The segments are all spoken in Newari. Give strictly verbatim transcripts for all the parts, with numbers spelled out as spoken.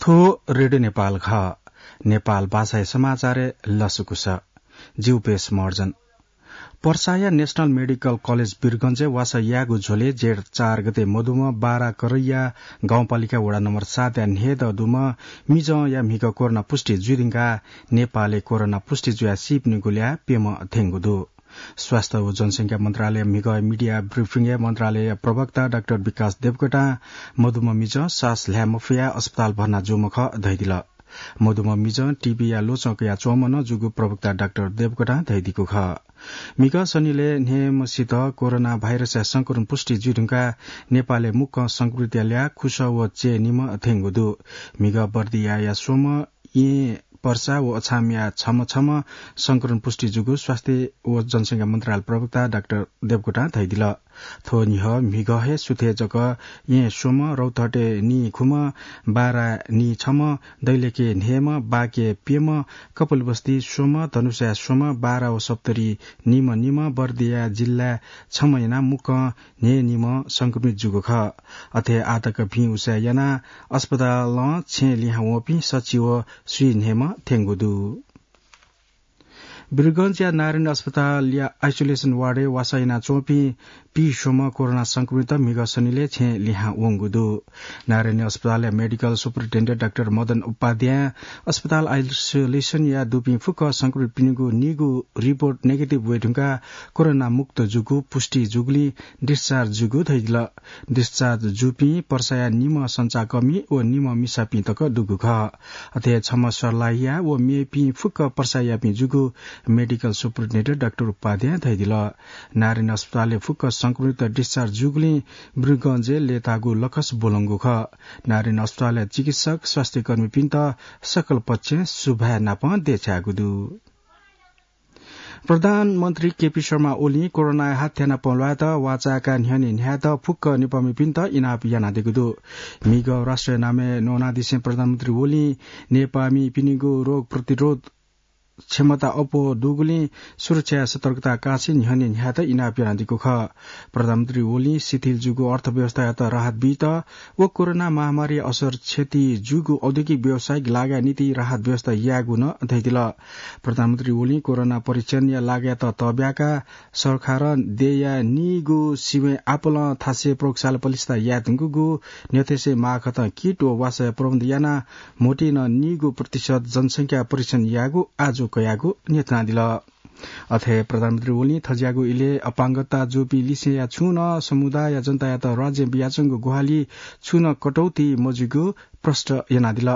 थ्व रेडियो नेपाल खः। नेपाल भाषाया समाचारय् लसकुस। जिउ पेश मर्जन। पर्साया नेशनल मेडिकल कलेज वीरगंजय् वासः यायेगु झ्वलय् जेठ चार गते मदुम्ह बारा करैया गाउँपालिका वडा नम्बर सातया न्हय्दँ दुम्ह मिजंया म्हिगः कोरोना पुष्टि जुइ धुंकाः नेपालय् कोरोना पुष्टि जुयाः सीपिनिगु ल्याः प्यम्ह थ्यंगु दु। स्वास्थ्य व जनसंख्या मन्त्रालय म्हिगः मिडिया ब्रिफिङय् मन्त्रालय प्रवक्ता डाक्टर विकास देवकोटां मदुम्ह मिजं सास ल्हाये मफयाः अस्पताल भर्ना जूम्ह खः धयादिल। मदुम्ह मिजं टीबीया ल्वचं कयाच्वंम्ह नं जूगु प्रवक्ता डाक्टर देवकोटां धयादीगु खः। म्हिगः सनिलय् न्हय्म्हसित कोरोना भाइरसया संक्रमण पुष्टि जुइ धुंकाः नेपालय् मुक्कं संक्रमितया ल्याः खुसः व चय्निम्ह थ्यंगु दु। म्हिगः बर्दियाया स्वम्ह येँ पर्सा व अछामया छम्ह छम्ह संक्रमण पुष्टि जूगु स्वास्थ्य व जनसंख्या मन्त्रालय प्रवक्ता डाक्टर देवकोटां धयादिल। थ्व न्ह्यः म्हिगः हे सुथय् जक येँ स्वम्ह, रौतहटे नीखुम्ह, बारा नीछम्ह, दैलेखे न्हय्म्ह, बाँके प्यम्ह, कपिलवस्ती स्वम्ह, धनुषाया स्वम्ह, बारा व सप्तरी निम्ह निम्ह, बर्दिया जिल्लाय् छम्ह यानाः मुक्कं न्हय्निम्ह संक्रमित जूगु खः। अथे आःतक भिं उसाँय् यानाः अस्पतालं छेँ लिहां वंपिं सच्छि व स्वीन्हय्म्ह थ्यंगु दु। वीरगंजया नारायणी अस्पतालया आइसोलेसन वार्डय् वासः यानाच्वंपिं पीस्वम्ह कोरोना संक्रमित म्हिगः सनिलय् छेँ लिहां वंगु दु। नारायणी अस्पतालया मेडिकल सुपरिन्टेन्डेन्ट डाक्टर मदन उपाध्यायं अस्पताल आइसोलेसनय् दुपिं फुक्क संक्रमितपिनिगु नीगू रिपोर्ट नेगेटिभ वये धुंकाः कोरोना मुक्त जूगु पुष्टि जूगुलिं डिस्चार्ज जूगु धयादिल। डिस्चार्ज जूपिं पर्साया निम्ह सञ्चारकर्मी व निम्ह मिसापिं तक दुगु खः। अथे छम्ह सर्लाहीया व मेपिं फुक्क पर्सायापिं जूगु मेडिकल सुपरिन्टेन्डेन्ट डाक्टर उपाध्यायं धयादिल। नारायणी अस्पतालय् फुक्क संक्रमित डिस्चार्ज जूगुलिं वीरगंजय् लय्ताःगु लकस ब्वलंगु खः। नारायणी अस्पतालया चिकित्सक, स्वास्थ्यकर्मीपिन्त सकल पक्षं सुभाय् नापं देछायेगु दु। प्रधानमन्त्री केपी शर्मा ओलीं कोरोनाया हात थ्यानापं ल्वायेत वाःचाय्काः न्ह्यःने न्ह्यायेत फुक्क नेपाःमिपिन्त इनाप यानादीगु दु। म्हिगः राष्ट्रया नामय् न्वनादिसें प्रधानमन्त्री ओलीं नेपाःमिपिनिगु रोग प्रतिरोध क्षमता अप्वः दुगुलिं सुरक्षा सतर्कता काःछि न्ह्यःने न्ह्यायेत इनाप यानादीगु खः। प्रधानमन्त्री ओलीं शिथिल जूगु अर्थव्यवस्थायात राहत बीत व कोरोना महामारीया असर क्षति जूगु औद्योगिक व्यावसायिक लागाया निंतिं राहत व्यवस्था यायेगु नं धयादिल। प्रधानमन्त्री ओलीं कोरोना परीक्षणया लागायात तःब्याकाः सरकारं देय्या नीगू सिबें आपालं थासय् प्रयोगशाला पलिस्था याये धुंकूगु न्ह्यथेसय् माःखतं किट व वासःया प्रबन्ध यानाः म्होतिं नं नीगू प्रतिशत जनसंख्या परीक्षण यायेगु आजु कयागु न्ह्यथनादिल। अथे प्रधानमन्त्री ओलीं थज्याःगु इलय् अपाङ्गता जूपिं लिसेंया छुं नं समुदायया जनतायात राज्यं बियाच्वंगु ग्वाहालि छुं नं कटौती मजुइगु प्रष्ट यानादिल।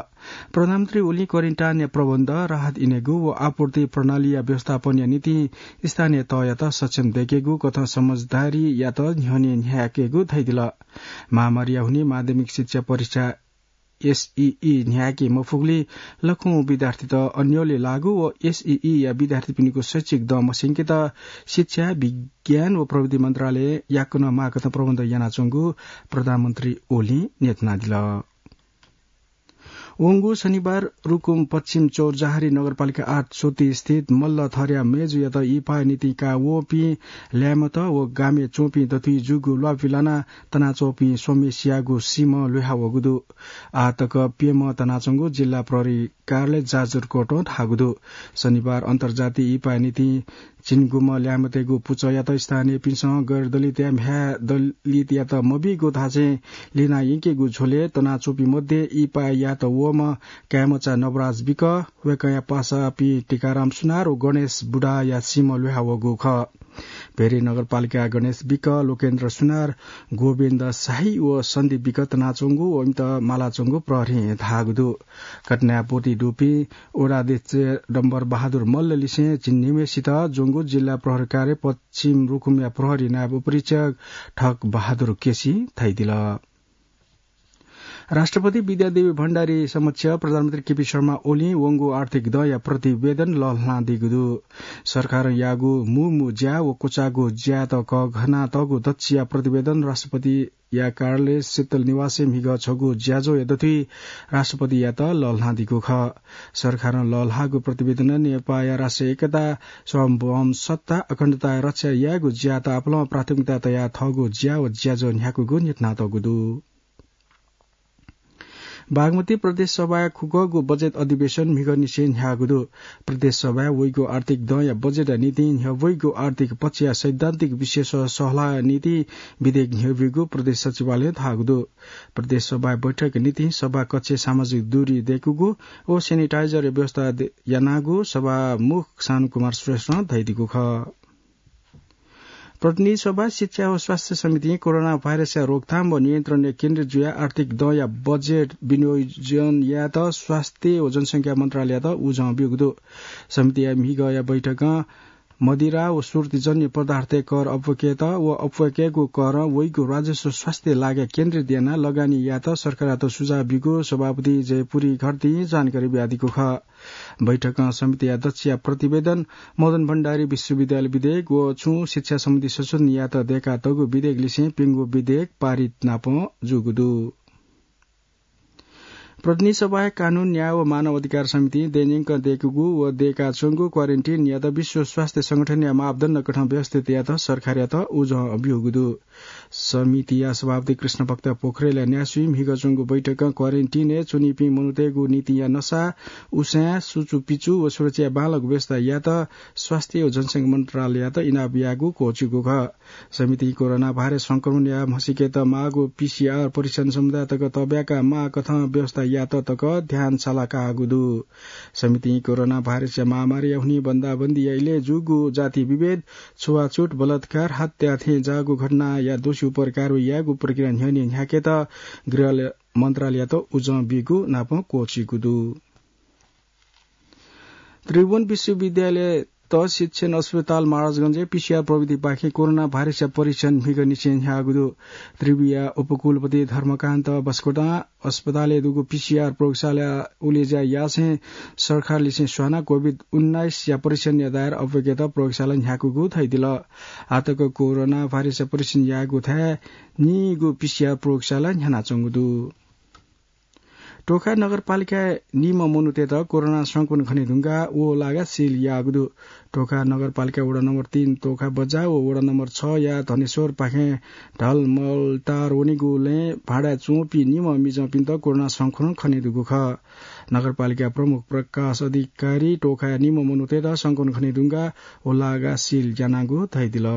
प्रधानमन्त्री ओलीं क्वारेन्टाइनया प्रबन्ध, राहत इनेगु व आपूर्ति प्रणालीया व्यवस्थापनया निंतिं स्थानीय तहयात सक्षम दयेकेगु कथं समझदारीयात न्ह्यःने न्ह्याकेगु धयादिल। महामारीया हुनिं माध्यमिक शिक्षा परीक्षा एसईई न्ह्याके मफुगुलिं लखौं विद्यार्थीत अन्योलय् लाःगु व एसईईया विद्यार्थीपिनिगु शैक्षिक दँ मस्यंकेत शिक्षा, विज्ञान व प्रविधि मन्त्रालयं याकनं माःखतं प्रबन्ध यानाच्वंगु प्रधानमन्त्री ओलीं न्ह्यथनादिल। वंगु शनिबार रुकुम पश्चिम चौरजहारी नगरपालिका आठ चोटी स्थित मल्ल थरया मेजुयात इपाःया निंतिं काः वःपिं ल्याय्म्हत व गामय् च्वंपिं दथुइ जूगु ल्वापु लानाः तनाच्वंपिं स्वम्हेसियागु सीम्ह ल्वय्हावःगु दु। आः तक प्यम्ह तनाच्वंगु जिल्ला प्रहरी कार्यालय जाजरकोटं धाःगु दु। शनिबार अन्तर्जातीय इपाःया निंतिं चिनगुम्ह ल्याय्म्हतय्गु पुचःयात स्थानीयपिन्सं गैर दलितया म्ह्याय् दलितयात मबीगु धासें लिना यंकेगु झ्वलय् तनाच्वंपिं मध्ये इपाः यायेत वःम्ह काय्मचा नवराज विक, वय्कःया पासापिं टीकाराम सुनार व गणेश बुढाया सीम्ह ल्वय्हावःगु खः। भेरी नगरपालिकाया गणेश विक, लोकेन्द्र सुनार, गोविन्द शाही व सन्दीप विक तनाच्वंगु व इमित मालाच्वंगु प्रहरीं धाःगु दु। घटनाय् ब्वति दुपिं वडा अध्यक्ष डम्बर बहादुर मल्ल लिसें झिंनिम्हेसित ज्वंगु जिल्ला प्रहरी कार्य पश्चिम रुकुमया प्रहरी नायब उपरीक्षक ठक बहादुर केसीं धयादिल। राष्ट्रपति विद्यादेवी भण्डारी समक्ष प्रधानमन्त्री केपी शर्मा ओलीं वंगु आर्थिक दँया प्रतिवेदन लःल्हानादीगु दु। सरकारं याःगु मू मू ज्या व क्वचाःगु ज्यायात कःघानातःगु दच्छिया प्रतिवेदन राष्ट्रपतिया कार्यालय शीतल निवासय् म्हिगः छगू ज्याझ्वःया दथुइ राष्ट्रपतियात लःल्हानादीगु खः। सरकारं लःल्हाःगु प्रतिवेदनं नेपाःया राष्ट्रिय एकता, सार्वभौम सत्ता, अखण्डताया रक्षा यायेगु ज्यायात आपालं प्राथमिकता तयाः थःगु ज्या व ज्याझ्वः न्ह्याकूगु न्ह्यथनातःगु दु। बागमती प्रदेश सभाया खुगःगु बजेट अधिवेशन म्हिगःनिसें न्ह्याःगु दु। प्रदेश सभाय् वइगु आर्थिक दँया बजेटया निंतिं न्ह्यब्वइगु आर्थिक पक्षया सैद्धान्तिक विषयस सहलह निंतिं विधेयक न्ह्यब्यूगु प्रदेश सचिवालयं धाःगु दु। प्रदेश सभाया बैठक निंतिं सभाकक्षय् सामाजिक दूरी दय्कूगु व sanitizer व्यवस्था दे-, यानागु सभामुख शानुकुमार श्रेष्ठं धयादीगु खः। प्रतिनिधि सभा शिक्षा व स्वास्थ्य समितिं कोरोना भाइरसया रोकथाम व नियन्त्रणय् केन्द्रित जुयाः आर्थिक दँया बजेट विनियोजन यायेत स्वास्थ्य व जनसंख्या मन्त्रालययात उजं ब्यूगु दु। समितिया म्हिगःया बैठकं मदिरा व सुर्तीजन्य पदार्थय् कर अप्वय्केत व अप्वय्केगु करं वइगु राजस्व स्वास्थ्य लागय् केन्द्रित यानाः लगानी यायेत सरकारयात सुझाव ब्यूगु सभापति जयपुरी घरतीं जानकारी बियादीगु खः। बैठकं समितिया अध्यक्षया प्रतिवेदन, मदन भण्डारी विश्वविद्यालय विधेयक व छुं शिक्षा सम्बन्धी संशोधन यायेत दय्कातःगु विधेयक लिसें प्यंगू विधेयक पारित नापं जूगु दु। प्रतिनिधि सभाया कानून, न्याय व मानव अधिकार समितिं दँय्न्यंक दय्कूगु व दय्काच्वंगु क्वारेन्टिनयात विश्व स्वास्थ्य संगठनया मापदण्ड कथं व्यवस्थित यायेत सरकारयात उजं ब्यूगु दु। समितिया सभापति कृष्णभक्त पोखरेलया न्यासि म्हिगः च्वंगु बैठकं क्वारेन्टिनय् च्वनीपिं मनूतय्गु निंतिंया नसा, उसाँय्, सुचुपिचु व सुरक्षाया बांलाक व्यवस्था यायेत स्वास्थ्य व जनसंख्या मन्त्रालययात इनाप याःगु क्वःछिगु खः। समितिं कोरोना भाइरस संक्रमणया म्हसीकेत माःगु पीसीआर परीक्षण समुदाय तक तःब्याका माः कथं व्यवस्था यायेत तक ध्यान सालाकाःगु दु। समितिं कोरोना भाइरसया महामारीया हुनिं बन्दाबन्दीया इलय् जूगु जाति विभेद, छुवाछुत, बलात्कार, हत्या थें जाःगु घटनाया दोषी उपर कारवाही यायेगु प्रक्रिया न्ह्यःने न्ह्याकेत गृह मन्त्रालययात उजं ब्यूगु नापं क्वःछिगु दु। त्रिभुवन विश्वविद्यालयत शिक्षण अस्पताल महाराजगंजय् पीसीआर प्रविधिपाखें कोरोना भाइरसया परीक्षण म्हिगःनिसें न्ह्याःगु दु। त्रिभुया उपकुलपति धर्मकान्त बस्कोटां अस्पतालय् दुगु पीसीआर प्रयोगशाला उलेज्या यासें सरकारलिसें स्वानाः कोभिड उन्नाइसया परीक्षणया दायरा अप्वय्केत प्रयोगशाला न्ह्याकूगु धयादिल। आःतक कोरोना भाइरसया परीक्षण याःगु थाय् नीगू पीसीआर प्रयोगशाला न्ह्यानाच्वंगु दु। टोखा नगरपालिकाय् निम्ह मनूतय्त कोरोना संक्रमण खनेधुंकाः व लागा सिल याःगु दु। टोखा नगरपालिका वडा नम्बर तीन टोखा बजार व वडा नम्बर छया धनेश्वरपाखें ढलमलटार वनेगु लँय् भाडाय् च्वंपिं निम्ह मिजंपिन्त कोरोना संक्रमण खनेदुगु खः। नगरपालिका प्रमुख प्रकाश अधिकारी टोखाय् निम्ह मनूतय्त संक्रमण खनेधुंकाः व लागा सिल यानागु धयादिल।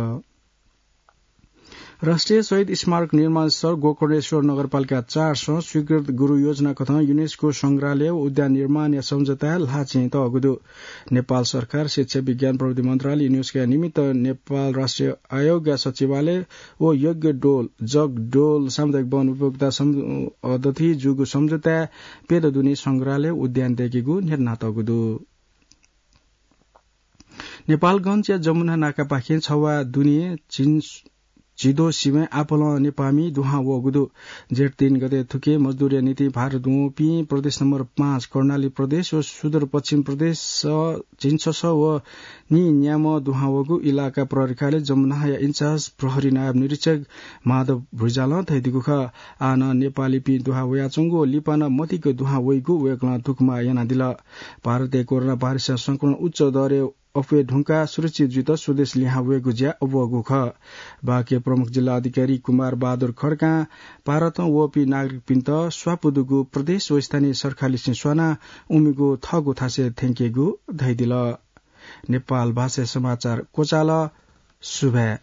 राष्ट्रिय शहीद स्मारक निर्माण स्थल गोकर्णेश्वर नगरपालिका चार सं स्वीकृत गुरु योजना कथं युनेस्को संग्रहालय व उद्यान निर्माणया सम्झौताय् ल्हाःचिं तःगु दु। नेपाल सरकार शिक्षा, विज्ञान, प्रविधि मन्त्रालय, युनेस्कोया निमित्त नेपाल राष्ट्रिय आयोगया सचिवालय व यज्ञ डोल, जग डोल सामुदायिक वन उपभोक्ता सम-, अ, दथि जूगु सम्झौताय् प्यदँ दुने संग्रहालय उद्यान दय्केगु निर्णय तःगु दु। नेपालगञ्जया जमुना नाकापाखें छवाः दुने झिन-, झिद्वः सिबें आपालं नेपाःमि दुहां वःगु दु। जेठ तीन गते थुकी मजदुरया निंतिं भारत वंपिं प्रदेश नम्बर पाँच कर्णाली प्रदेश व सुदूरपश्चिम प्रदेश झिंछसः व नीन्याम्ह दुहां वःगु इलाका प्रहरी कार्यालय जमुनाया इन्चार्ज प्रहरी नायब निरीक्षक माधव भुइँजालं धयादीगु खः। आः नं नेपालीपिं दुहां वयाच्वंगु व लिपा नं मतिक दुहां वइगु वय्कलं दुःखमाया यानादिल। भारतय् कोरोना भाइरसया संक्रमण उच्च दरय् अप्वये धुंकाः सुरक्षित जुइत स्वदेश लिहां वयेगु ज्या अब्वःगु खः। बाँके प्रमुख जिल्ला अधिकारी कुमार बहादुर खड्कां भारतं वःपिं नागरिकपिन्त स्वापू दुगु प्रदेश व स्थानीय सरकारलिसें स्वानाः उमिगु थःगु थासय् थ्यंकेगु धयादिल। नेपाल भाषाय् समाचार क्वचाल। सुभाय्।